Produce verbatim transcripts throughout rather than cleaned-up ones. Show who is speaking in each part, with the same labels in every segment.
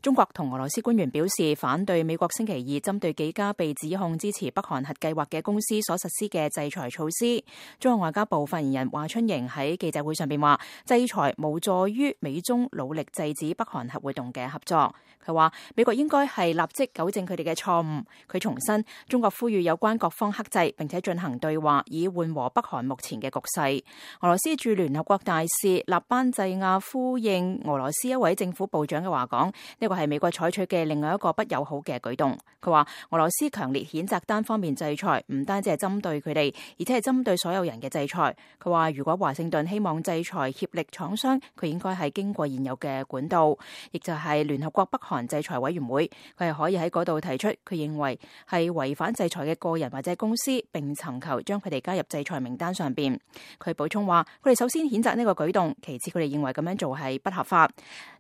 Speaker 1: 中國同俄羅斯官員表示反對美國星期二針對幾家被指控支持北韓核計劃嘅公司所實施嘅制裁措施。中國外交部發言人華春瑩喺記者會上邊話，制裁無助於美中努力制止北韓核活動嘅合作。佢話美國應該係立即糾正佢哋嘅錯誤。佢重申，中國呼籲有關各方克制，並且進行對話，以緩和北韓目前嘅局勢。俄羅斯駐聯合國大使納班濟亞呼應俄羅斯一位政府部長嘅話講，呢個係美國採取嘅另外一個不友好嘅舉動。佢話俄羅斯強烈譴責單方面制裁，唔單止係針對佢哋，而且係針對所有人嘅制裁。佢話如果華盛頓希望制裁協力廠商，佢應該係經過現有嘅管道，亦就係聯合國北韓制裁委員會。佢係可以喺嗰度提出佢認為係違反制裁嘅個人或者公司，並尋求將佢哋加入制裁名單上邊。佢補充話，佢哋首先譴責呢個舉動，其次佢哋認為咁樣做係不合法，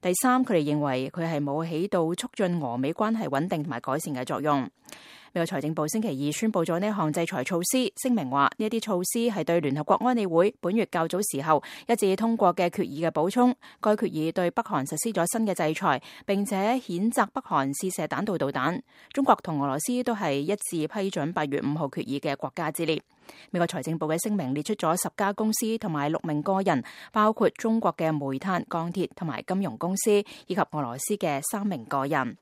Speaker 1: 第三佢哋認為佢係冇起到促進俄美關係穩定同埋改善嘅作用。美國財政部星期二宣布咗呢項制裁措施，聲明話呢一啲措施係對聯合國安理會本月較早時候一致通過嘅決議嘅補充。該決議對北韓實施咗新嘅制裁，並且譴責北韓試射彈道導彈。中國同俄羅斯都係一致批准八月五號決議嘅國家之列。美國財政部嘅聲明列出咗十家公司同埋六名個人，包括中國嘅煤炭、鋼鐵同埋金融公司，以及俄羅斯嘅三名個人。